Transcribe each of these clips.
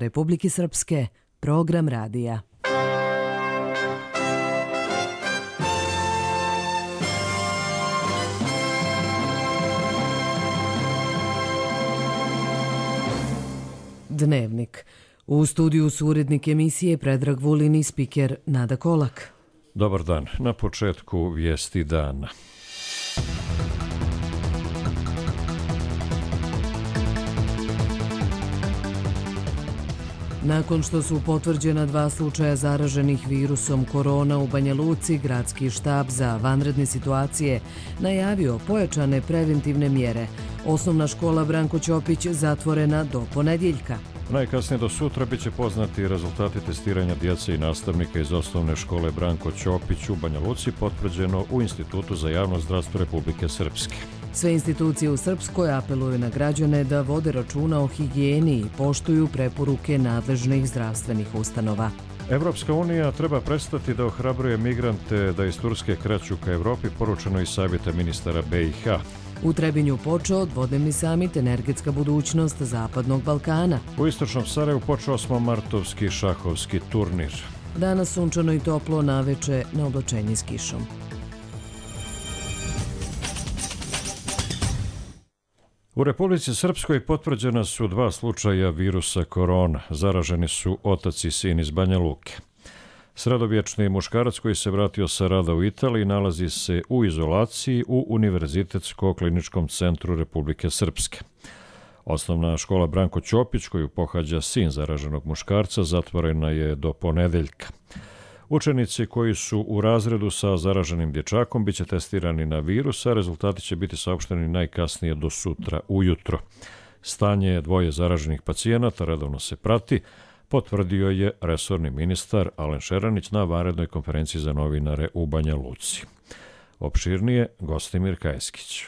Republike Srpske, program radija. Dnevnik. U studiju su urednik emisije Predrag Vulin i spiker Nada Kolak. Dobar dan. Na početku vijesti dana. Nakon što su potvrđena 2 slučaja zaraženih virusom korona u Banja Luci, gradski štab za vanredne situacije najavio pojačane preventivne mjere. Osnovna škola Branko Ćopić zatvorena do ponedjeljka. Najkasnije do sutra biće poznati rezultati testiranja djece i nastavnika iz osnovne škole Branko Ćopić u Banja Luci, potvrđeno u Institutu za javno zdravstvo Republike Srpske. Sve institucije u Srpskoj apeluju na građane da vode računa o higijeni i poštuju preporuke nadležnih zdravstvenih ustanova. Evropska unija treba prestati da ohrabruje migrante da iz Turske kreću ka Evropi, poručeno iz savjeta ministara BiH. U Trebinju počeo dvodnevni samit Energetska budućnost Zapadnog Balkana. U istočnom Sarajevu počeo 8-martovski šahovski turnir. Danas sunčano i toplo, naveče na oblačenje s kišom. U Republici Srpskoj potvrđena su 2 slučaja virusa korona. Zaraženi su otac i sin iz Banja Luke. Sredovječni muškarac koji se vratio sa rada u Italiji nalazi se u izolaciji u Univerzitetsko-kliničkom centru Republike Srpske. Osnovna škola Branko Ćopić, koju pohađa sin zaraženog muškarca, zatvorena je do ponedjeljka. Učenici koji su u razredu sa zaraženim dječakom biće testirani na virus, a rezultati će biti saopšteni najkasnije do sutra ujutro. Stanje 2 zaraženih pacijenata redovno se prati, potvrdio je resorni ministar Alen Šeranić na vanrednoj konferenciji za novinare u Banja Luci. Opširnije, Gostimir Kajeskić.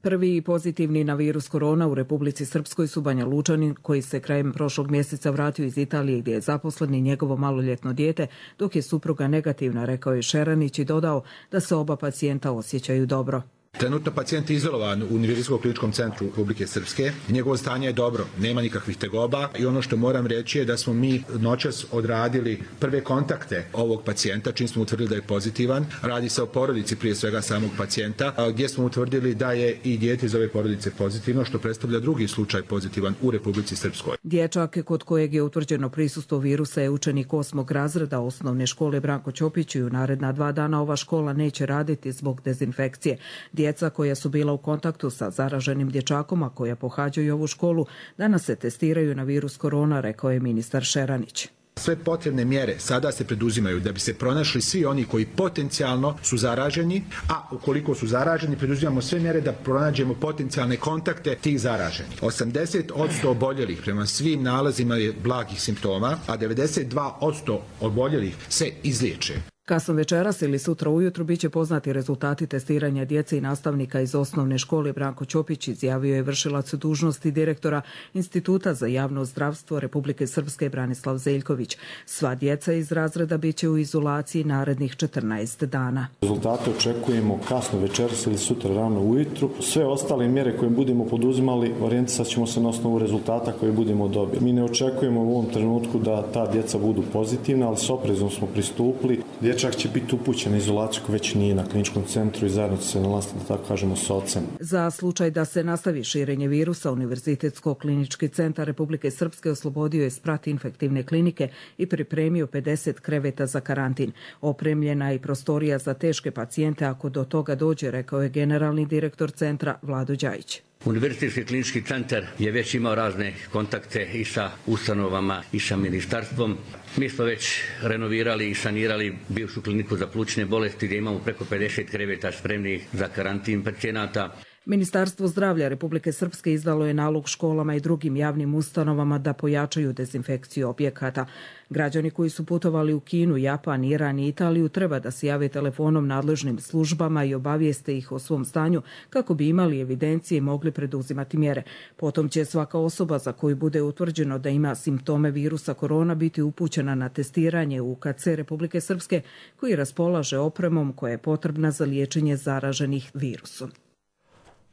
Prvi pozitivni na virus korona u Republici Srpskoj su Banja Lučanin, koji se krajem prošlog mjeseca vratio iz Italije gdje je zaposlen i njegovo maloljetno dijete, dok je supruga negativna, rekao je Šeranić i dodao da se oba pacijenta osjećaju dobro. Trenutno pacijent je izolovan u Univerzitetsko-kliničkom centru Republike Srpske. Njegovo stanje je dobro, nema nikakvih tegoba i ono što moram reći je da smo mi noćas odradili prve kontakte ovog pacijenta, čim smo utvrdili da je pozitivan. Radi se o porodici prije svega samog pacijenta, gdje smo utvrdili da je i dijete iz ove porodice pozitivno, što predstavlja drugi slučaj pozitivan u Republici Srpskoj. Dječak kod kojeg je utvrđeno prisustvo virusa je učenik 8. razreda osnovne škole Branko Ćopić i u naredna 2 dana ova škola neće raditi zbog dezinfekcije. Djeca koja su bila u kontaktu sa zaraženim dječakom, a koja pohađaju ovu školu, danas se testiraju na virus korona, rekao je ministar Šeranić. Sve potrebne mjere sada se preduzimaju da bi se pronašli svi oni koji potencijalno su zaraženi, a ukoliko su zaraženi, preduzimamo sve mjere da pronađemo potencijalne kontakte tih zaraženih. 80% oboljelih prema svim nalazima je blagih simptoma, a 92% oboljelih se izliječe. Kasno večeras ili sutra ujutro biće poznati rezultati testiranja djece i nastavnika iz osnovne škole Branko Ćopić, izjavio je vršilac dužnosti direktora Instituta za javno zdravstvo Republike Srpske Branislav Zeljković. Sva djeca iz razreda biće u izolaciji narednih 14 dana. Rezultate očekujemo kasno večeras ili sutra rano ujutru. Sve ostale mjere koje budemo poduzimali, orijentisat ćemo se na osnovu rezultata koje budemo dobili. Mi ne očekujemo u ovom trenutku da ta djeca budu pozitivna, ali s oprezom smo pristupili. Dječak će biti upućen na izolaciju koji već nije na kliničkom centru i zajedno će se nalaziti, da tako kažemo, s ocem. Za slučaj da se nastavi širenje virusa, Univerzitetsko-klinički centar Republike Srpske oslobodio je sprat infektivne klinike i pripremio 50 kreveta za karantin. Opremljena je i prostorija za teške pacijente ako do toga dođe, rekao je generalni direktor centra Vlado Đajić. Univerzitetski klinički centar je već imao razne kontakte i sa ustanovama i sa ministarstvom. Mi smo već renovirali i sanirali bivšu kliniku za plućne bolesti gdje imamo preko 50 kreveta spremnih za karantin pacijenata. Ministarstvo zdravlja Republike Srpske izdalo je nalog školama i drugim javnim ustanovama da pojačaju dezinfekciju objekata. Građani koji su putovali u Kinu, Japan, Iran i Italiju treba da se jave telefonom nadležnim službama i obavijeste ih o svom stanju kako bi imali evidencije i mogli preduzimati mjere. Potom će svaka osoba za koju bude utvrđeno da ima simptome virusa korona biti upućena na testiranje u UKC Republike Srpske, koji raspolaže opremom koja je potrebna za liječenje zaraženih virusom.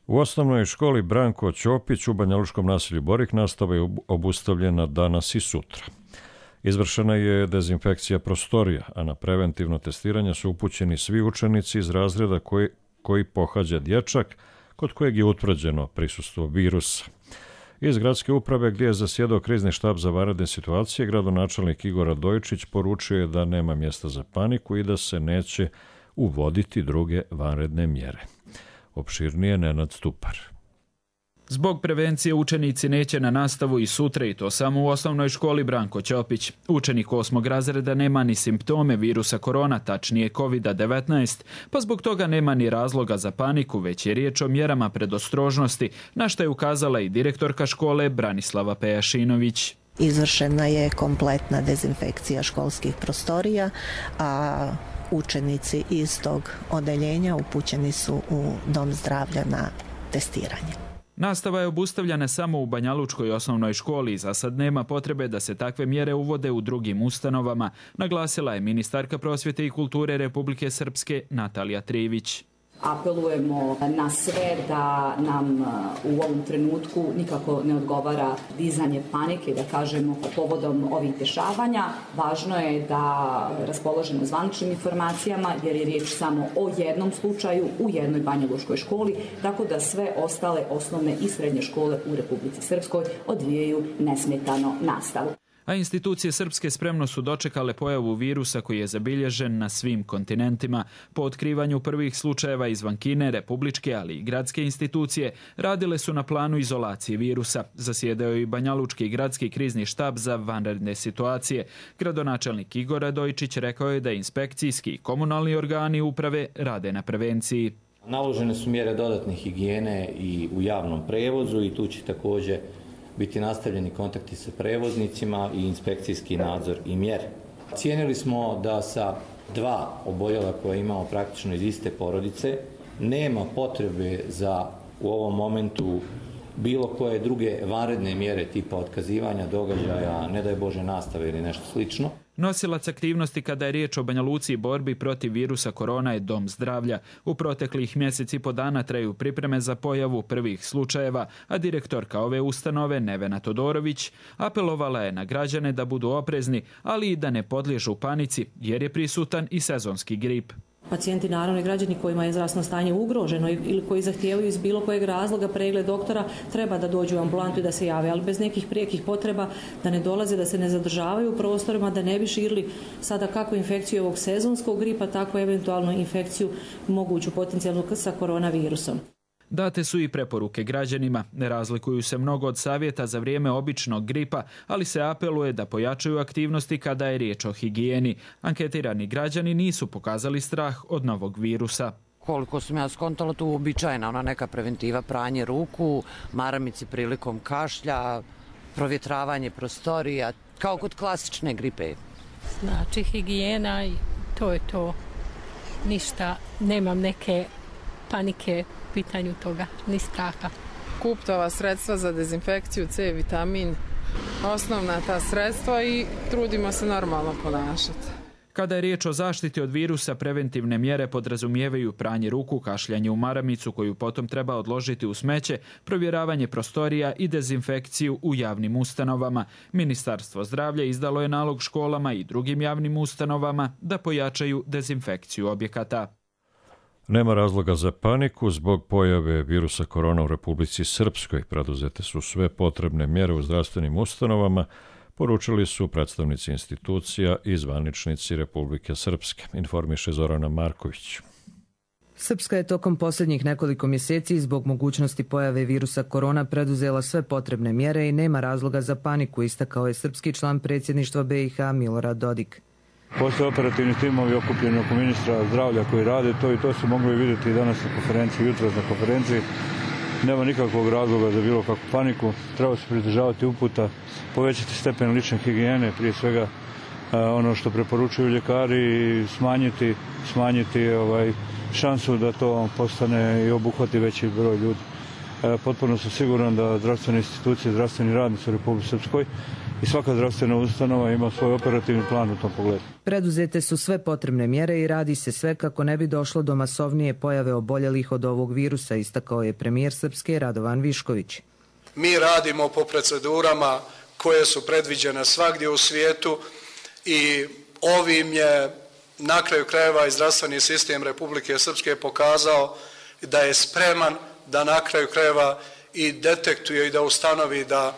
U osnovnoj školi Branko Ćopić u banjalučkom naselju Borik nastava je obustavljena danas i sutra. Izvršena je dezinfekcija prostorija, a na preventivno testiranje su upućeni svi učenici iz razreda koji pohađa dječak, kod kojeg je utvrđeno prisustvo virusa. Iz gradske uprave, gdje je zasjedao krizni štab za vanredne situacije, gradonačelnik Igor Radojičić poručio je da nema mjesta za paniku i da se neće uvoditi druge vanredne mjere. Opširnije Nenad Stupar. Zbog prevencije učenici neće na nastavu i sutra, i to samo u osnovnoj školi Branko Ćopić. Učenik 8. razreda nema ni simptome virusa korona, tačnije COVID-19, pa zbog toga nema ni razloga za paniku, već je riječ o mjerama predostrožnosti, na što je ukazala i direktorka škole Branislava Pejašinović. Izvršena je kompletna dezinfekcija školskih prostorija, a učenici iz tog odeljenja upućeni su u dom zdravlja na testiranje. Nastava je obustavljena samo u Banjalučkoj osnovnoj školi i za sad nema potrebe da se takve mjere uvode u drugim ustanovama, naglasila je ministarka prosvjete i kulture Republike Srpske Natalija Trivić. Apelujemo na sve da nam u ovom trenutku nikako ne odgovara dizanje panike, da kažemo povodom ovih dešavanja. Važno je da raspoložimo zvaničnim informacijama jer je riječ samo o jednom slučaju u jednoj banjalučkoj školi, tako da sve ostale osnovne i srednje škole u Republici Srpskoj odvijaju nesmetano nastavu. A institucije srpske spremno su dočekale pojavu virusa koji je zabilježen na svim kontinentima. Po otkrivanju prvih slučajeva izvan Kine, republičke, ali i gradske institucije radile su na planu izolacije virusa. Zasjedao je i Banjalučki gradski krizni štab za vanredne situacije. Gradonačelnik Igor Radojičić rekao je da inspekcijski i komunalni organi uprave rade na prevenciji. Naložene su mjere dodatne higijene i u javnom prevozu i tu će također biti nastavljeni kontakti sa prevoznicima i inspekcijski nadzor i mjere. Cijenili smo da sa 2 oboljela koje imamo praktično iz iste porodice nema potrebe za u ovom momentu bilo koje druge vanredne mjere tipa otkazivanja događaja, ne daj Bože nastave ili nešto slično. Nosilac aktivnosti kada je riječ o Banja Luci i borbi protiv virusa korona je dom zdravlja. U proteklih mjesec i po dana traju pripreme za pojavu prvih slučajeva, a direktorka ove ustanove Nevena Todorović apelovala je na građane da budu oprezni, ali i da ne podliježu panici jer je prisutan i sezonski grip. Pacijenti, naravno i građani kojima je zdravstveno stanje ugroženo ili koji zahtijevaju iz bilo kojeg razloga pregled doktora, treba da dođu u ambulantu i da se jave, ali bez nekih prijekih potreba, da ne dolaze, da se ne zadržavaju u prostorima, da ne bi širili sada kako infekciju ovog sezonskog gripa, tako eventualno infekciju moguću potencijalnu sa koronavirusom. Date su i preporuke građanima. Ne razlikuju se mnogo od savjeta za vrijeme običnog gripa, ali se apeluje da pojačaju aktivnosti kada je riječ o higijeni. Anketirani građani nisu pokazali strah od novog virusa. Koliko sam ja skontala, tu uobičajena ona neka preventiva, pranje ruku, maramici prilikom kašlja, provjetravanje prostorija, kao kod klasične gripe. Znači higijena i to je to. Ništa, nemam neke panike u pitanju toga, ni straha. Kuptova sredstva za dezinfekciju, C vitamin, osnovna ta sredstva i trudimo se normalno ponašati. Kada je riječ o zaštiti od virusa, preventivne mjere podrazumijevaju pranje ruku, kašljanje u maramicu koju potom treba odložiti u smeće, provjeravanje prostorija i dezinfekciju u javnim ustanovama. Ministarstvo zdravlja izdalo je nalog školama i drugim javnim ustanovama da pojačaju dezinfekciju objekata. Nema razloga za paniku zbog pojave virusa korona u Republici Srpskoj. Preduzete su sve potrebne mjere u zdravstvenim ustanovama, poručili su predstavnici institucija i zvaničnici Republike Srpske, informiše Zorana Marković. Srpska je tokom posljednjih nekoliko mjeseci zbog mogućnosti pojave virusa korona preduzela sve potrebne mjere i nema razloga za paniku, istakao je srpski član predsjedništva BiH Milorad Dodik. Postoje operativni timovi okupljeni oko ministra zdravlja koji rade to i to su mogli vidjeti danas na konferenciji, jutros na konferenciji. Nema nikakvog razloga za bilo kakvu paniku. Treba se pridržavati uputa, povećati stepen lične higijene, prije svega ono što preporučuju ljekari i smanjiti šansu da to postane i obuhvati veći broj ljudi. Potpuno sam siguran da zdravstvene institucije, zdravstveni radnici u Republici Srpskoj i svaka zdravstvena ustanova ima svoj operativni plan u tom pogledu. Preduzete su sve potrebne mjere i radi se sve kako ne bi došlo do masovnije pojave oboljelih od ovog virusa, istakao je premijer Srpske Radovan Višković. Mi radimo po procedurama koje su predviđene svagdje u svijetu i ovim je na kraju krajeva i zdravstveni sistem Republike Srpske pokazao da je spreman da na kraju krajeva i detektuje i da ustanovi da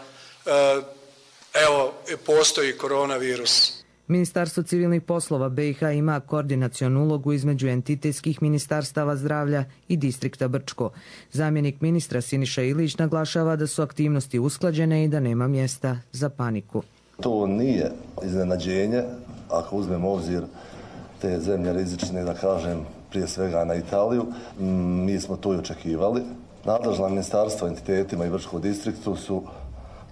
postoji koronavirus. Ministarstvo civilnih poslova BiH ima koordinacionu ulogu između entitetskih ministarstava zdravlja i distrikta Brčko. Zamjenik ministra Siniša Ilić naglašava da su aktivnosti usklađene i da nema mjesta za paniku. To nije iznenađenje, ako uzmemo obzir te zemlje rizične, da kažem, prije svega na Italiju. Mi smo to i očekivali. Nadležna ministarstva entitetima i Brčkom distriktu su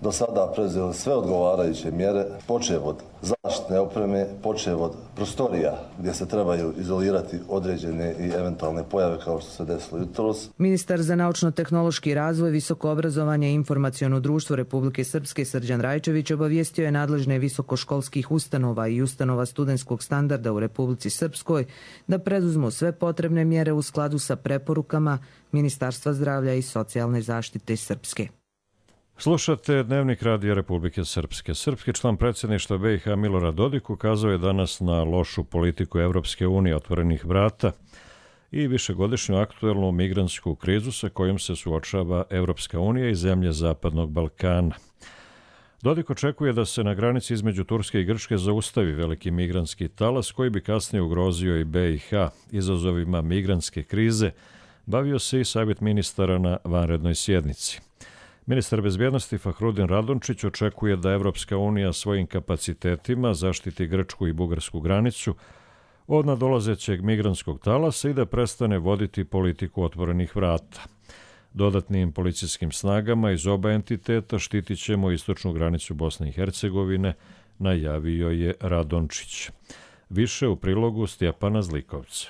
do sada preuzeli sve odgovarajuće mjere, počev od zaštitne opreme, počev od prostorija gdje se trebaju izolirati određene i eventualne pojave kao što se desilo jutros. Ministar za naučno-tehnološki razvoj, visoko obrazovanje i informaciono društvo Republike Srpske Srđan Rajčević obavijestio je nadležne visokoškolskih ustanova i ustanova studentskog standarda u Republici Srpskoj da preduzmu sve potrebne mjere u skladu sa preporukama Ministarstva zdravlja i socijalne zaštite Srpske. Slušate Dnevnik Radija Republike Srpske. Srpski član predsjedništva BiH Milorad Dodik ukazao je danas na lošu politiku Evropske unije otvorenih vrata i višegodišnju aktuelnu migrantsku krizu sa kojom se suočava Evropska unija i zemlje Zapadnog Balkana. Dodik očekuje da se na granici između Turske i Grčke zaustavi veliki migrantski talas koji bi kasnije ugrozio i BiH. Izazovima migrantske krize bavio se i savjet ministara na vanrednoj sjednici. Ministar bezbjednosti Fahrudin Radončić očekuje da Evropska unija svojim kapacitetima zaštiti grčku i bugarsku granicu od nadolazećeg migrantskog talasa i da prestane voditi politiku otvorenih vrata. Dodatnim policijskim snagama iz oba entiteta štitit ćemo istočnu granicu Bosne i Hercegovine, najavio je Radončić. Više u prilogu Stjepana Zlikovca.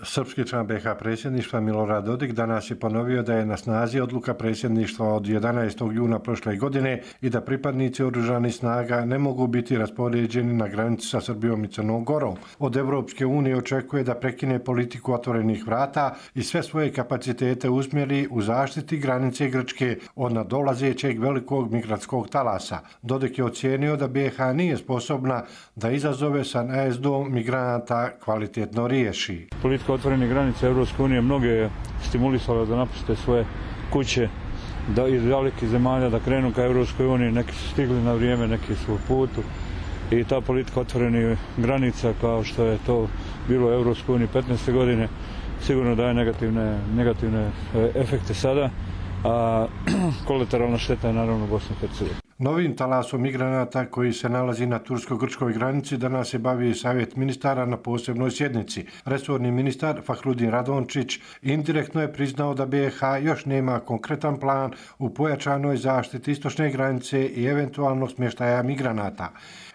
Srpski član BiH predsjedništva Milorad Dodik danas je ponovio da je na snazi odluka predsjedništva od 11. juna prošle godine i da pripadnici oružanih snaga ne mogu biti raspoređeni na granici sa Srbijom i Crnom Gorom. Od Evropske unije očekuje da prekine politiku otvorenih vrata i sve svoje kapacitete usmjeri u zaštiti granice Grčke od nadolazećeg velikog migrantskog talasa. Dodik je ocijenio da BiH nije sposobna da izazove sa najezdom migranata kvalitetno riješi. Otvorenih granica Evropske unije mnoge je stimulisala da napuste svoje kuće, da iz velikih zemalja da krenu ka Evropskoj uniji. Neki su stigli na vrijeme, neki su u putu i ta politika otvorenih granica kao što je to bilo u Evropskoj uniji 15. godine sigurno daje negativne efekte sada, a kolateralna šteta je naravno Bosna i Hercegovina. Novim talasom migranata koji se nalazi na tursko-grčkoj granici danas se bavi savjet ministara na posebnoj sjednici. Resorni ministar Fahrudin Radončić indirektno je priznao da BiH još nema konkretan plan u pojačanoj zaštiti istočne granice i eventualnog smještaja migranata.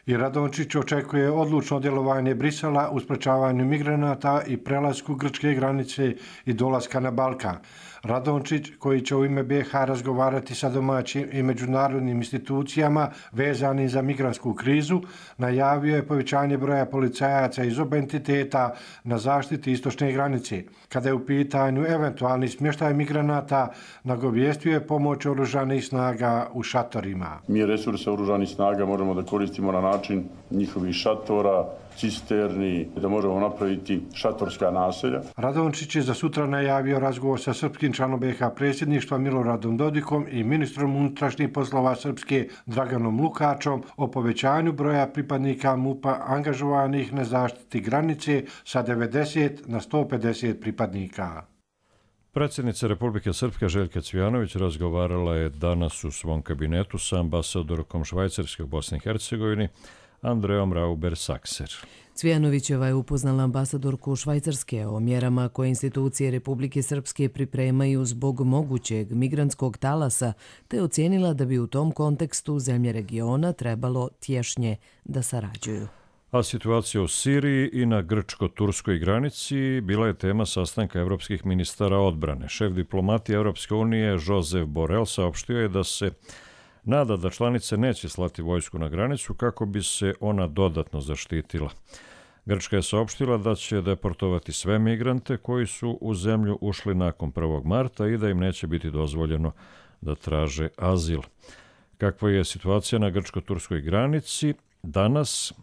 I Radončić očekuje odlučno djelovanje Brisela u sprečavanju migranata i prelasku grčke granice i dolaska na Balkan. Radončić, koji će u ime BiH razgovarati sa domaćim i međunarodnim institucijama vezanim za migrantsku krizu, najavio je povećanje broja policajaca iz oba entiteta na zaštiti istočne granice. Kada je u pitanju eventualni smještaj migranata, nagovijestio je pomoć oružanih snaga u šatorima. Mi resurse oružanih snaga možemo da koristimo na način njihovih šatora, cisterni, da možemo napraviti šatorska naselja. Radončić je za sutra najavio razgovor sa srpskim članom BiH predsjedništva Miloradom Dodikom i ministrom unutrašnjih poslova Srpske Draganom Lukačom o povećanju broja pripadnika MUP-a angažovanih na zaštiti granice sa 90 na 150 pripadnika. Predsjednica Republike Srpske Željka Cvijanović razgovarala je danas u svom kabinetu sa ambasadorkom Švajcarske u Bosni i Hercegovini Andreom Rauber-Sakser. Cvijanovićeva je upoznala ambasadorku Švajcarske o mjerama koje institucije Republike Srpske pripremaju zbog mogućeg migrantskog talasa, te ocijenila da bi u tom kontekstu zemlje regiona trebalo tješnje da sarađuju. A situacija u Siriji i na grčko-turskoj granici bila je tema sastanka evropskih ministara odbrane. Šef diplomatije Evropske unije Josep Borrell saopštio je da se nada da članice neće slati vojsku na granicu kako bi se ona dodatno zaštitila. Grčka je saopštila da će deportovati sve migrante koji su u zemlju ušli nakon 1. marta i da im neće biti dozvoljeno da traže azil. Kakva je situacija na grčko-turskoj granici danas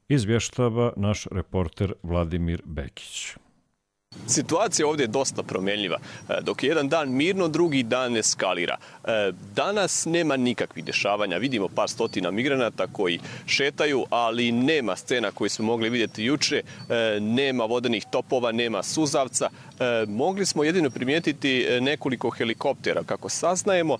izvještava naš reporter Vladimir Bekić. Situacija ovdje je dosta promjenljiva. Dok je jedan dan mirno, drugi dan eskalira. Danas nema nikakvih dešavanja. Vidimo par stotina migranata koji šetaju, ali nema scena koje smo mogli vidjeti juče. Nema vodenih topova, nema suzavca. Mogli smo jedino primijetiti nekoliko helikoptera. Kako saznajemo,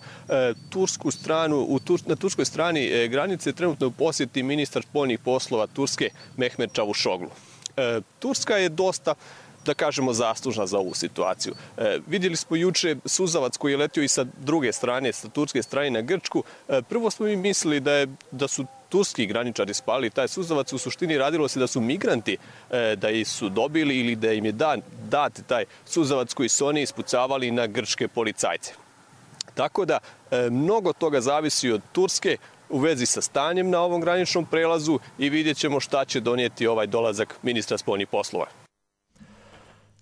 na turskoj strani granice trenutno u posjeti ministar spoljnih poslova Turske Mehmet Čavuşoglu. Turska je dosta, da kažemo, zaslužna za ovu situaciju. Vidjeli smo juče suzavac koji je letio i sa druge strane, sa turske strane na Grčku. Prvo smo mi mislili da su turski graničari spalili taj suzavac. U suštini radilo se da su migranti da su dobili ili da im je dat taj suzavac koji su oni ispucavali na grčke policajce. Tako da mnogo toga zavisi od Turske u vezi sa stanjem na ovom graničnom prelazu i vidjet ćemo šta će donijeti ovaj dolazak ministra spoljnih poslova.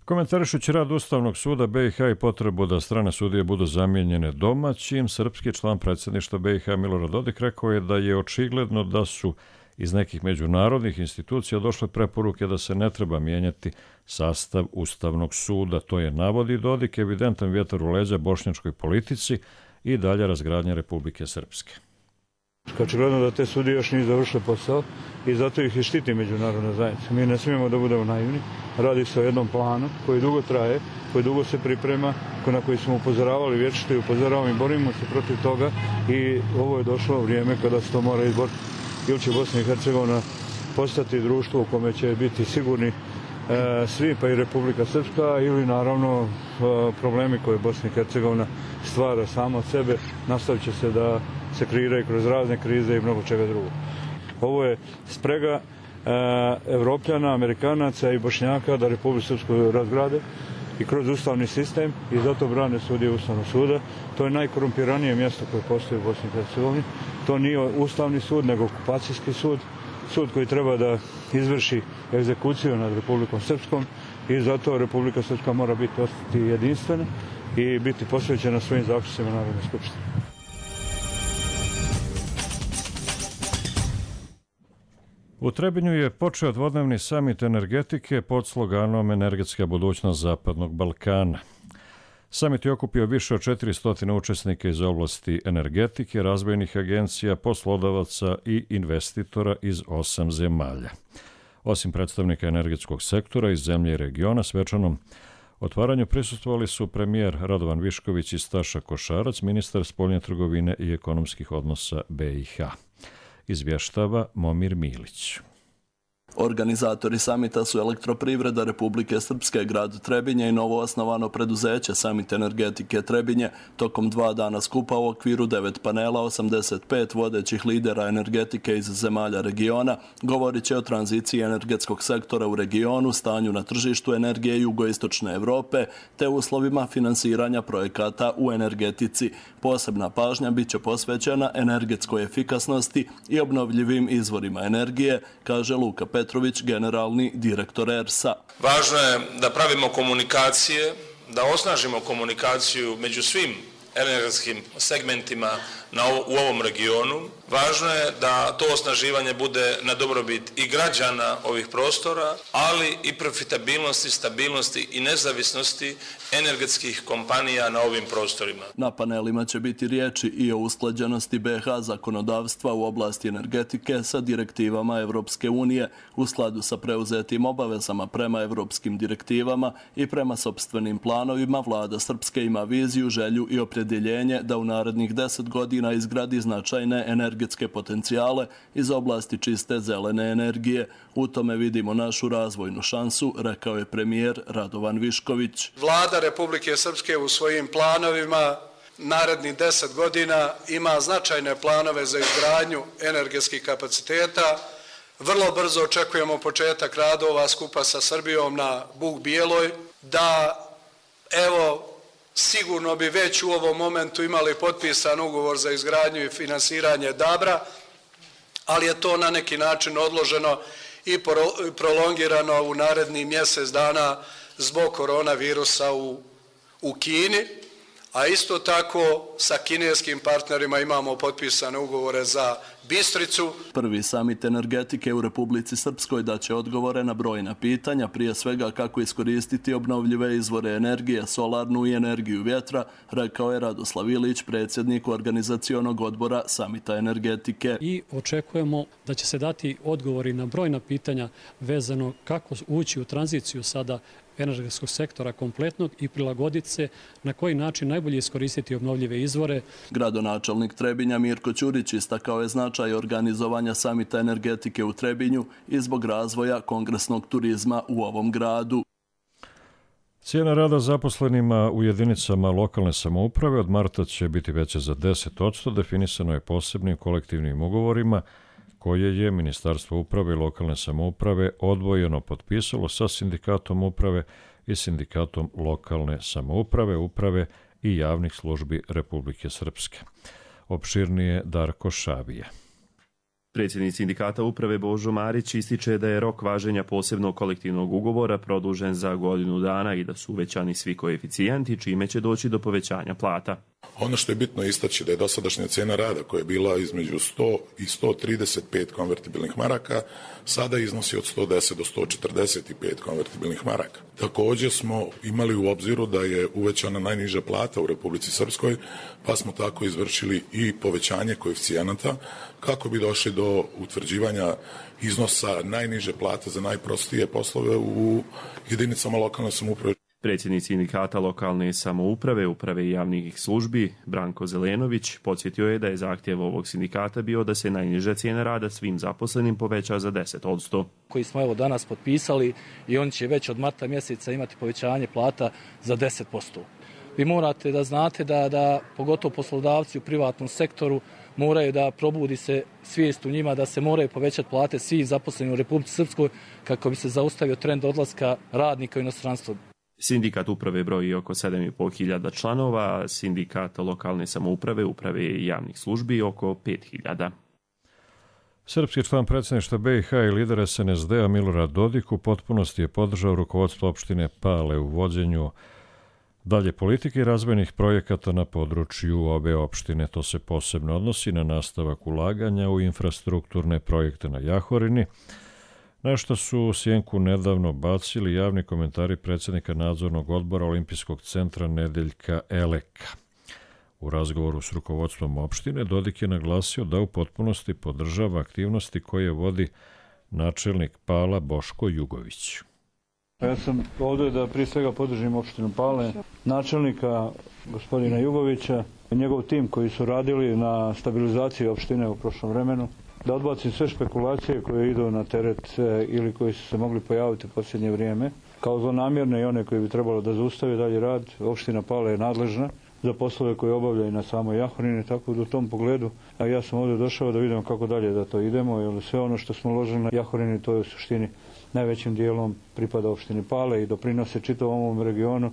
Komentarišući rad Ustavnog suda BiH i potrebu da strane sudije budu zamijenjene domaćim, srpski član predsjedništva BiH Milorad Dodik rekao je da je očigledno da su iz nekih međunarodnih institucija došle preporuke da se ne treba mijenjati sastav Ustavnog suda. To je, navodi Dodik, evidentan vjetar u leđa bošnjačkoj politici i dalje razgradnja Republike Srpske. Očigledno da te sudije još nisu završile posao i zato ih i štiti međunarodna zajednica. Mi ne smijemo da budemo naivni. Radi se o jednom planu koji dugo traje, koji dugo se priprema, na koji smo upozoravali vječito i upozoravamo i borimo se protiv toga i ovo je došlo vrijeme kada se to mora izboriti. Ili će Bosna i Hercegovina postati društvo u kome će biti sigurni svi, pa i Republika Srpska, ili naravno problemi koje Bosna i Hercegovina stvara sama od sebe nastavit će se da se kreiraju kroz razne krize i mnogo čega drugog. Ovo je sprega Evropljana, Amerikanaca i Bošnjaka da Republiku Srpsku razgrade i kroz ustavni sistem i zato brane sudije Ustavnog suda. To je najkorumpiranije mjesto koje postoji u Bosni i Hercegovini. To nije Ustavni sud, nego okupacijski sud. Sud koji treba da izvrši egzekuciju nad Republikom Srpskom i zato Republika Srpska mora ostati jedinstvena i biti posvećena svojim zaključcima Narodne skupštine. U Trebinju je počeo dvodnevni samit energetike pod sloganom Energetska budućnost Zapadnog Balkana. Samit je okupio više od 400 učesnika iz oblasti energetike, razvojnih agencija, poslodavaca i investitora iz 8 zemalja. Osim predstavnika energetskog sektora iz zemlje i regiona, svečanom otvaranju prisustvovali su premijer Radovan Višković i Staša Košarac, ministar spoljne trgovine i ekonomskih odnosa BiH. Izvještava Momir Milić. Organizatori samita su Elektroprivreda Republike Srpske, grad Trebinje i novoosnovano preduzeće Samit energetike Trebinje. Tokom 2 dana skupa u okviru 9 panela 85 vodećih lidera energetike iz zemalja regiona govorit će o tranziciji energetskog sektora u regionu, stanju na tržištu energije jugoistočne Evrope te uslovima finansiranja projekata u energetici. Posebna pažnja bit će posvećena energetskoj efikasnosti i obnovljivim izvorima energije, kaže Luka Petrović, generalni direktor ERS-a. Važno je da pravimo komunikacije, da osnažimo komunikaciju među svim energetskim segmentima u ovom regionu. Važno je da to osnaživanje bude na dobrobit i građana ovih prostora, ali i profitabilnosti, stabilnosti i nezavisnosti energetskih kompanija na ovim prostorima. Na panelima će biti riječi i o usklađenosti BiH zakonodavstva u oblasti energetike sa direktivama Evropske unije u skladu sa preuzetim obavezama prema evropskim direktivama i prema sopstvenim planovima. Vlada Srpske ima viziju, želju i opredjeljenje da u narednih 10 godina izgradi značajne energetske potencijale iz oblasti čiste zelene energije. U tome vidimo našu razvojnu šansu, rekao je premijer Radovan Višković. Vlada Republike Srpske u svojim planovima narednih 10 godina ima značajne planove za izgradnju energetskih kapaciteta. Vrlo brzo očekujemo početak radova skupa sa Srbijom na Buk Bijeloj, da evo sigurno bi već u ovom momentu imali potpisan ugovor za izgradnju i finansiranje Dabra, ali je to na neki način odloženo i prolongirano u narednih mjesec dana zbog koronavirusa u Kini, a isto tako sa kineskim partnerima imamo potpisane ugovore za Bistricu. Prvi samit energetike u Republici Srpskoj daće odgovore na brojna pitanja, prije svega kako iskoristiti obnovljive izvore energije, solarnu i energiju vjetra, rekao je Radoslav Ilić, predsjednik organizacionog odbora samita energetike. I očekujemo da će se dati odgovori na brojna pitanja vezano kako ući u tranziciju sada energetskog sektora kompletnog i prilagoditi se na koji način najbolje iskoristiti obnovljive izvore. Gradonačelnik Trebinja Mirko Ćurić istakao je značaj organizovanja samita energetike u Trebinju i zbog razvoja kongresnog turizma u ovom gradu. Cijena rada zaposlenima u jedinicama lokalne samouprave od marta će biti veća za 10%, definisano je posebnim kolektivnim ugovorima koje je Ministarstvo uprave i lokalne samouprave odvojeno potpisalo sa Sindikatom uprave i Sindikatom lokalne samouprave, uprave i javnih službi Republike Srpske. Opširnije Darko Šabija. Predsjednik Sindikata uprave Božo Marić ističe da je rok važenja posebnog kolektivnog ugovora produžen za godinu dana i da su uvećani svi koeficijenti, čime će doći do povećanja plata. Ono što je bitno istaći da je dosadašnja cijena rada koja je bila između 100 i 135 konvertibilnih maraka sada iznosi od 110 do 145 konvertibilnih maraka. Također smo imali u obziru da je uvećana najniža plata u Republici Srpskoj, pa smo tako izvršili i povećanje koeficijenata kako bi došli do utvrđivanja iznosa najniže plate za najprostije poslove u jedinicama lokalne samouprave. Predsjednik Sindikata lokalne samouprave, uprave i javnih službi Branko Zelenović podsjetio je da je zahtjev ovog sindikata bio da se najniža cijena rada svim zaposlenim poveća za 10%. Koji smo evo danas potpisali i oni će već od marta mjeseca imati povećanje plata za 10%. Vi morate da znate da pogotovo poslodavci u privatnom sektoru moraju da probudi se svijest u njima da se moraju povećati plate svih zaposlenih u Republici Srpskoj kako bi se zaustavio trend odlaska radnika u inostranstvo. Sindikat uprave broji oko 7.500 članova, sindikat lokalne samouprave, uprave i javnih službi oko 5.000. Srpski član predsjedništva BiH i lider SNSD-a Milorad Dodik u potpunosti je podržao rukovodstvo opštine Pale u vođenju dalje politike i razvojnih projekata na području obe opštine. To se posebno odnosi na nastavak ulaganja u infrastrukturne projekte na Jahorini, na što su u sjenku nedavno bacili javni komentari predsjednika nadzornog odbora Olimpijskog centra Nedeljka Eleka. U razgovoru s rukovodstvom opštine Dodik je naglasio da u potpunosti podržava aktivnosti koje vodi načelnik Pala Boško Jugović. Ja sam ovdje da prije svega podržim opštinu Pale, načelnika gospodina Jugovića, njegov tim koji su radili na stabilizaciji opštine u prošlom vremenu, da odbacim sve špekulacije koje idu na teret ili koji su se mogli pojaviti u posljednje vrijeme, kao zlonamjerne i one koje bi trebalo da zaustave dalje rad. Opština Pale je nadležna za poslove koje obavljaju na samoj Jahorini, tako da u tom pogledu, a ja sam ovdje došao da vidimo kako dalje da to idemo, jer sve ono što smo uložili na Jahorini, to je u suštini najvećim dijelom pripada opštini Pale i doprinose čitavom ovom regionu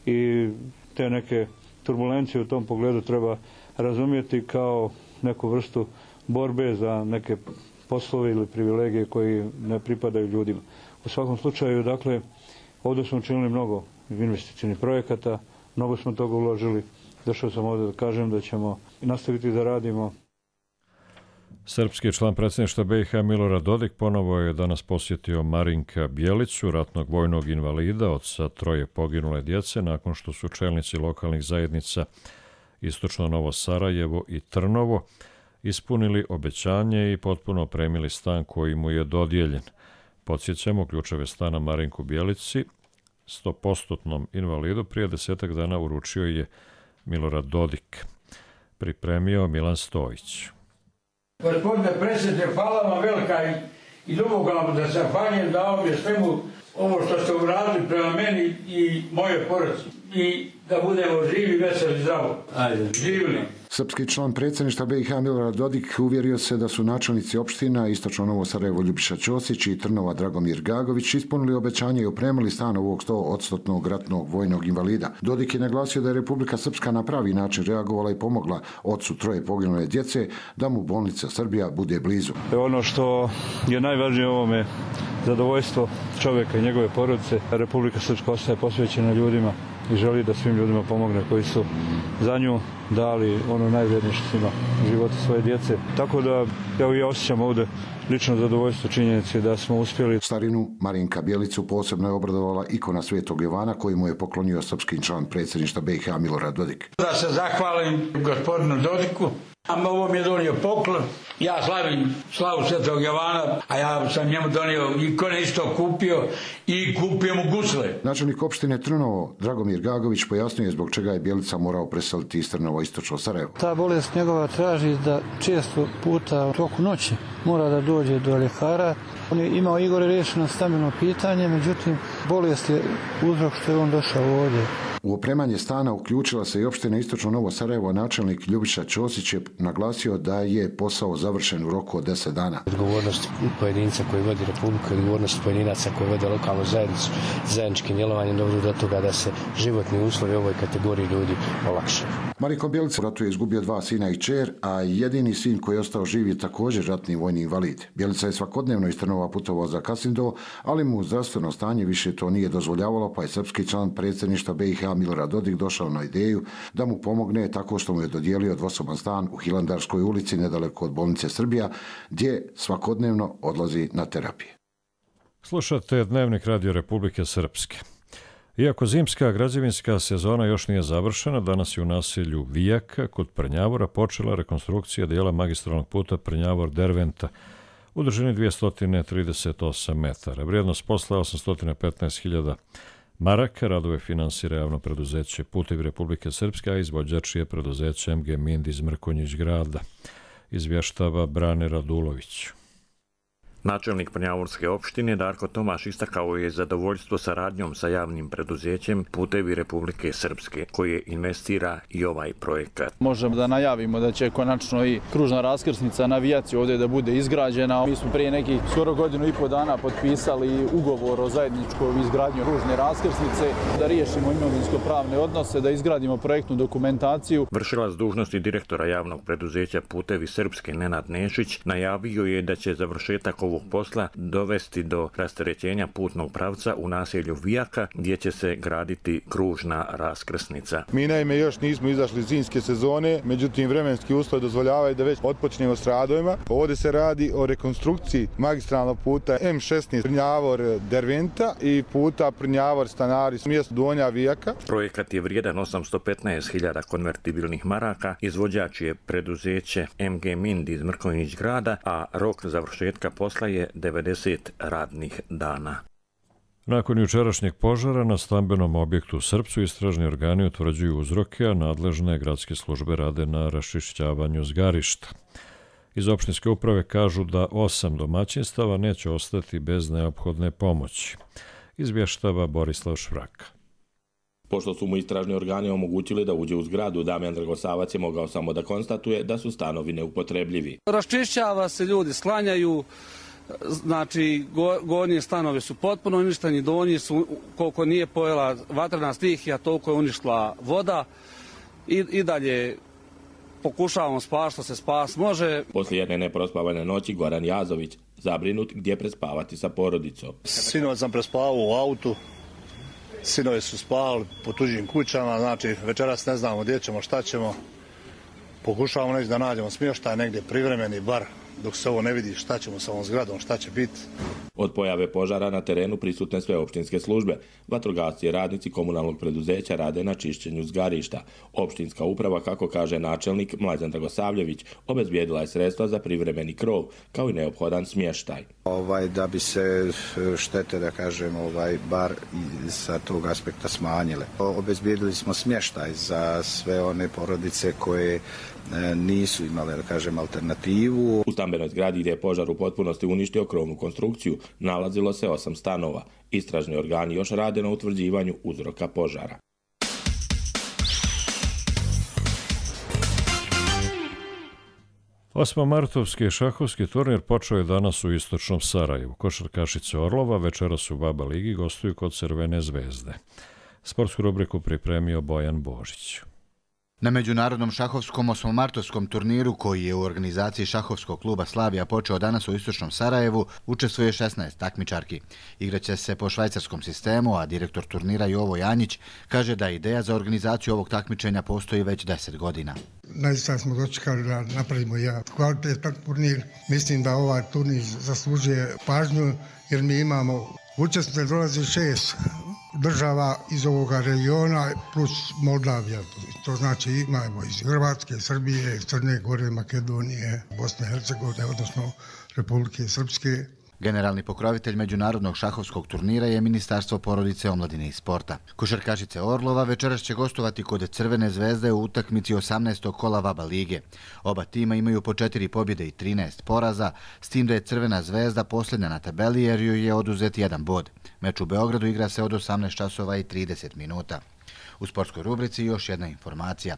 i te neke turbulencije u tom pogledu treba razumjeti kao neku vrstu borbe za neke poslove ili privilegije koji ne pripadaju ljudima. U svakom slučaju, dakle, ovdje smo učinili mnogo investicijnih projekata, mnogo smo toga uložili. Došao sam ovdje da kažem da ćemo nastaviti da radimo. Srpski član predsjedništva BiH Milorad Dodik ponovo je danas posjetio Marinka Bjelicu, ratnog vojnog invalida od sa 3 poginule djece, nakon što su čelnici lokalnih zajednica Istočno Novo Sarajevo i Trnovo ispunili obećanje i potpuno opremili stan koji mu je dodijeljen. Podsjećamo, ključeve stana Marinku Bjelici, 100% invalidu, prije 10 dana uručio je Milorad Dodik. Pripremio Milan Stojić. Gospodine predsjedniče, hvala vam velika i duboko vam da se zahvaljujem da ovdje svemu ovo što ste uradili prema meni i moje porodici. I da budemo živi, veseli, zdravo. Ajde. Živili. Srpski član predsjedništva BiH Milorad Dodik uvjerio se da su načelnici opština Istočno Novo Sarajevo Ljubiša Ćosić i Trnova Dragomir Gagović ispunili obećanje i opremili stan ovog 100% ratnog vojnog invalida. Dodik je naglasio da je Republika Srpska na pravi način reagovala i pomogla ocu 3 poginule djece da mu bolnica Srbija bude blizu. Ono što je najvažnije u ovome zadovoljstvo čovjeka i njegove porodice. Republika Srpska ostaje posvećena ljudima i želi da svim ljudima pomogne koji su za nju dali ono najvrednije što ima života svoje djece. Tako da ja osjećam ovdje lično zadovoljstvo činjenice da smo uspjeli. Starinu Marinka Bjelicu posebno je obradovala ikona Svetog Jovana koji mu je poklonio srpski član predsjedništva BiH Milorad Dodik. Da se zahvalim gospodinu Dodiku. Ovo mi je donio poklon. Ja slavim slavu Svetog Jovana, a ja sam njemu donio ikone, isto kupio i kupio mu gusle. Načelnik opštine Trnovo Dragomir Gagović pojasnio je zbog čega je Bjelica morao preseliti iz Trnova Istočno Sarajevo. Ta bolest njegova traži da često puta u toku noći mora da dođe do ljekara. On je imao Igore rješeno stambeno pitanje, međutim bolest je uzrok što je on došao ovdje. U opremanje stana uključila se i opština Istočno Novo Sarajevo, načelnik Ljubiša Ćosić je naglasio da je posao završen u roku od 10 dana. Odgovornost pojedinca koji vodi Republiku, odgovornost pojedinaca koji vode lokalnu zajednicu, zajedničkim djelovanjem dovodi do toga da se životni uslovi ovoj kategoriji ljudi olakšaju. Mariko Bjelica u ratu je izgubio 2 sina i kćer, a jedini sin koji je ostao živ je također ratni vojni invalid. Bjelica je svakodnevno iz Trnova putovao za Kasindovo, ali mu zdravstveno stanje više to nije dozvoljavalo, pa je srpski član predsjedništva BiH Milorad Dodik došao na ideju da mu pomogne tako što mu je dodijelio dvosoban stan u Hilandarskoj ulici nedaleko od bolnice Srbija, gdje svakodnevno odlazi na terapije. Slušate Dnevnik Radio Republike Srpske. Iako zimska građevinska sezona još nije završena, danas je u naselju Vijaka kod Prnjavora počela rekonstrukcija dijela magistralnog puta Prnjavor-Derventa u dužini 238 metara. Vrijednost posla je 815.000 maraka. Radove finansira javno preduzeće Putevi Republike Srpske, a izvođač je preduzeće MG Mind iz Mrkonjić grada. Izvještava Brane Radulović. Načelnik Prnjavorske opštine Darko Tomaš istakao je zadovoljstvo saradnjom sa javnim preduzećem Putevi Republike Srpske, koje investira i ovaj projekat. Možemo da najavimo da će konačno i kružna raskrsnica na Vijaci ovdje da bude izgrađena. Mi smo prije nekih skoro 1,5 godina potpisali ugovor o zajedničkoj izgradnji kružne raskrsnice, da riješimo imovinsko-pravne odnose, da izgradimo projektnu dokumentaciju. Vršilac dužnosti direktora javnog preduzeća Putevi Srpske Nenad Nešić najavio je da će završetak ovog posla dovesti do rasterećenja putnog pravca u naselju Vijaka, gdje će se graditi kružna raskrsnica. Mi naime još nismo izašli iz zimske sezone, međutim vremenski uslovi dozvoljavaju da već otpočnemo s radovima. Ovdje se radi o rekonstrukciji magistralnog puta M16 Prnjavor-Derventa i puta Prnjavor-Stanari mjesto Donja Vijaka. Projekat je vrijedan 815.000 konvertibilnih maraka, izvođač je preduzeće MG Mind iz Mrkonjić grada, a rok završetka posla je 90 radnih dana. Nakon jučerašnjeg požara na stambenom objektu u Srpcu istražni organi utvrđuju uzroke, a nadležne gradske službe rade na raščišćavanju zgarišta. Iz opštinske uprave kažu da 8 domaćinstava neće ostati bez neophodne pomoći. Izvještava Borislav Švraka. Pošto su mu istražni organi omogućili da uđe u zgradu, Damjan Dragosavac je mogao samo da konstatuje da su stanovi neupotrebljivi. Raščišćava se, ljudi sklanjaju, znači gornji stanovi su potpuno uništeni, donji su, koliko nije pojela vatrena stihija, toliko je uništila voda i dalje pokušavamo spasti što se spas može. Poslije jedne neprospavane noći Goran Jazović zabrinut gdje prespavati sa porodicom. Sinoć sam prespavao u autu. Sinovi su spavali po tuđim kućama, znači večeras ne znamo gdje ćemo, šta ćemo. Pokušavamo neći da nađemo smještaj negdje privremeni bar dok se ovo ne vidi šta ćemo sa ovom zgradom, šta će biti. Od pojave požara na terenu prisutne sve opštinske službe. Vatrogasci i radnici komunalnog preduzeća rade na čišćenju zgarišta. Opštinska uprava, kako kaže načelnik Mlađan Dragosavljević, obezbijedila je sredstva za privremeni krov, kao i neophodan smještaj. Da bi se štete, da kažem, bar sa tog aspekta smanjile. Obezbijedili smo smještaj za sve one porodice koje nisu imale, da kažem, alternativu. U stambenoj zgradi gdje je požar u potpunosti uništio krovnu konstrukciju nalazilo se 8 stanova. Istražni organi još rade na utvrđivanju uzroka požara. Osmomartovski šahovski turnir počeo je danas u istočnom Sarajevu. Košarkašice Orlova večeras u Baba Ligi gostuju kod Crvene zvezde. Sportsku rubriku pripremio Bojan Božić. Na međunarodnom šahovskom osmomartovskom turniru, koji je u organizaciji šahovskog kluba Slavija počeo danas u istočnom Sarajevu, učestvuje 16 takmičarki. Igraće se po švajcarskom sistemu, a direktor turnira Jovo Janjić kaže da ideja za organizaciju ovog takmičenja postoji već 10 godina. Naista smo dočekali da napravimo jedan kvalitetan turnir. Mislim da ovaj turnir zaslužuje pažnju jer mi imamo učesnice, dolazi 6 država iz ovoga regiona plus Moldavija. To znači imamo iz Hrvatske, Srbije, Crne Gore, Makedonije, Bosne i Hercegovine, odnosno Republike Srpske. Generalni pokrovitelj međunarodnog šahovskog turnira je Ministarstvo porodice, omladine i sporta. Košarkašice Orlova večeras će gostovati kod Crvene zvezde u utakmici 18. kola Baba Lige. Oba tima imaju po 4 pobjede i 13 poraza, s tim da je Crvena zvezda posljednja na tabeli jer joj je oduzet 1 bod. Meč u Beogradu igra se od 18 časova i 30 minuta. U sportskoj rubrici još jedna informacija.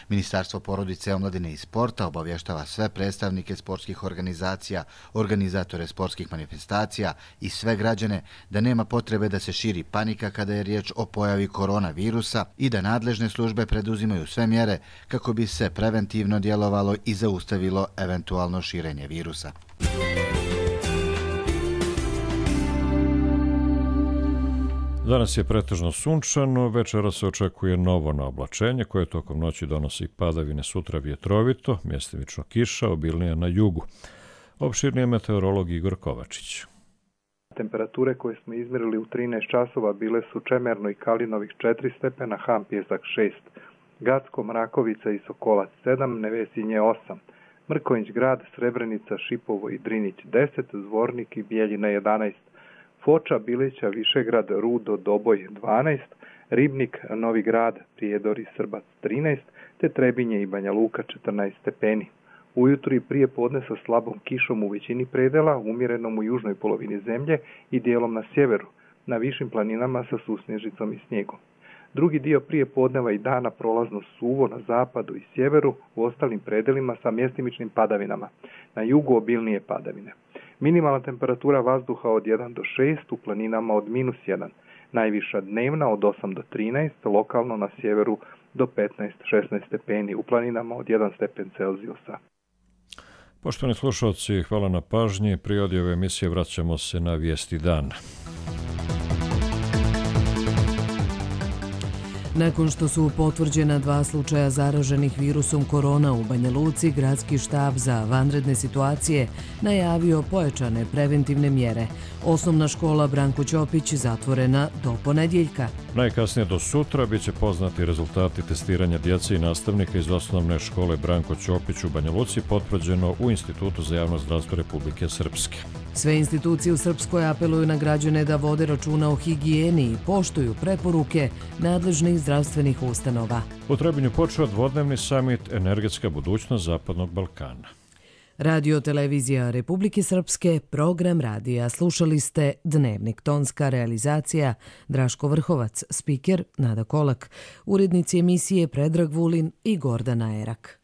Ministarstvo porodice, omladine i sporta obavještava sve predstavnike sportskih organizacija, organizatore sportskih manifestacija i sve građane da nema potrebe da se širi panika kada je riječ o pojavi koronavirusa i da nadležne službe preduzimaju sve mjere kako bi se preventivno djelovalo i zaustavilo eventualno širenje virusa. Danas je pretežno sunčano, večera se očekuje novo naoblačenje koje tokom noći donosi padavine, sutra vjetrovito, mjestimično kiša, obilnija na jugu. Opširni je meteorolog Igor Kovačić. Temperature koje smo izmjerili u 13 časova bile su Čemerno i Kalinovih 4 stepena, Ham Pjesak 6, Gacko, Mrakovica i Sokolac 7, Nevesinje 8, Mrkonjić grad, Srebrenica, Šipovo i Drinić 10, Zvornik i Bijeljina 11, Foča, Bilića, Višegrad, Rudo, Doboj 12, Ribnik, Novi grad, Prijedor i Srbac 13, te Trebinje i Banja Luka 14 stepeni. Ujutro i prije podne sa slabom kišom u većini predela, umjerenom u južnoj polovini zemlje i dijelom na sjeveru, na višim planinama sa susnježicom i snijegom. Drugi dio prije podneva i dana prolazno suvo na zapadu i sjeveru, u ostalim predelima sa mjestimičnim padavinama, na jugu obilnije padavine. Minimalna temperatura vazduha od 1 do 6, u planinama od -1, najviša dnevna od 8 do 13, lokalno na sjeveru do 15-16 stepeni, u planinama od 1 stepen Celzijusa. Poštovani slušalci, hvala na pažnji. Prije ove emisije vraćamo se na vijesti dana. Nakon što su potvrđena 2 slučaja zaraženih virusom korona u Banja Luci, Gradski štab za vanredne situacije najavio pojačane preventivne mjere. Osnovna škola Branko Ćopić zatvorena do ponedjeljka. Najkasnije do sutra bit će poznati rezultati testiranja djece i nastavnika iz osnovne škole Branko Ćopić u Banja Luci, potvrđeno u Institutu za javno zdravstvo Republike Srpske. Sve institucije u Srpskoj apeluju na građane da vode računa o higijeni i poštuju preporuke nadležnih zdravstvenih ustanova. U Trebinju počeo dvodnevni samit Energetska budućnost Zapadnog Balkana. Radio televizija Republike Srpske, program radija. Slušali ste Dnevnik, tonska realizacija Draško Vrhovac, spiker Nada Kolak, urednici emisije Predrag Vulin i Gordana Erak.